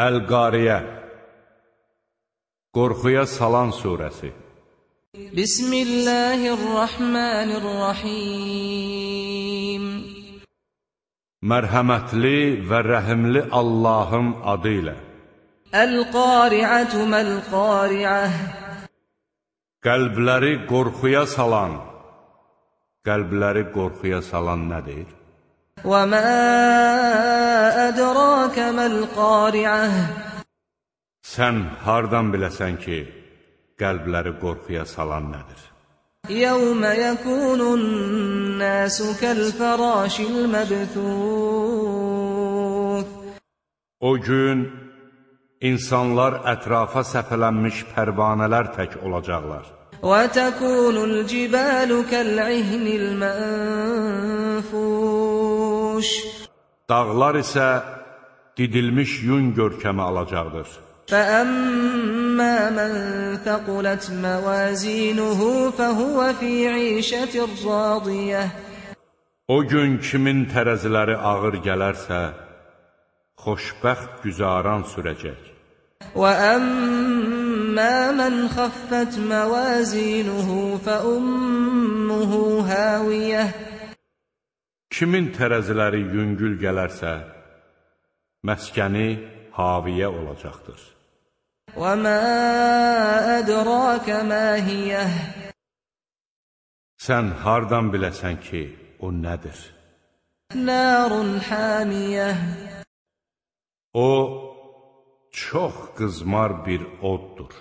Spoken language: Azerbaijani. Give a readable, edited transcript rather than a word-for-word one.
Əl-Qariyə, qorxuya salan surəsi. Bismillahirrahmanirrahim. Mərhəmətli və rəhimli Allahın adı ilə. Əl-Qari'atu məl-Qari'ah. Qəlbləri qorxuya salan. Qəlbləri qorxuya salan nədir? Və mə ədrakə məl-Qari'ah. Sən hardan biləsən ki, qəlbləri qorxuya salan nədir? Yəvmə yəkunun-nəsu kəl-fərâşil-məbthûth. O gün insanlar ətrafa səpələnmiş pərvanələr tək olacaqlar. Və təkunul-cibəlu kəl-'ihnil-mənfuş. Dağlar isə didilmiş yun görkəmi alacaqdır. فَأَمَّا مَنْ ثَقُلَتْ مَوَازِينُهُ فَهُوَ فِي عِيشَةٍ رَاضِيَةٍ. O gün kimin tərəziləri ağır gələrsə, xoşbəxt güzaran sürəcək. وَأَمَّا مَنْ خَفَّتْ مَوَازِينُهُ فَأُمُّهُ هَاوِيَةٌ. Kimin tərəziləri yüngül gələrsə, məskəni haviyə olacaqdır. وَمَا أَدْرَاكَ مَا هِيَهْ. Sən hardan biləsən ki, o nədir? نَارٌ حَامِيَةٌ. O, çox qızmar bir oddur.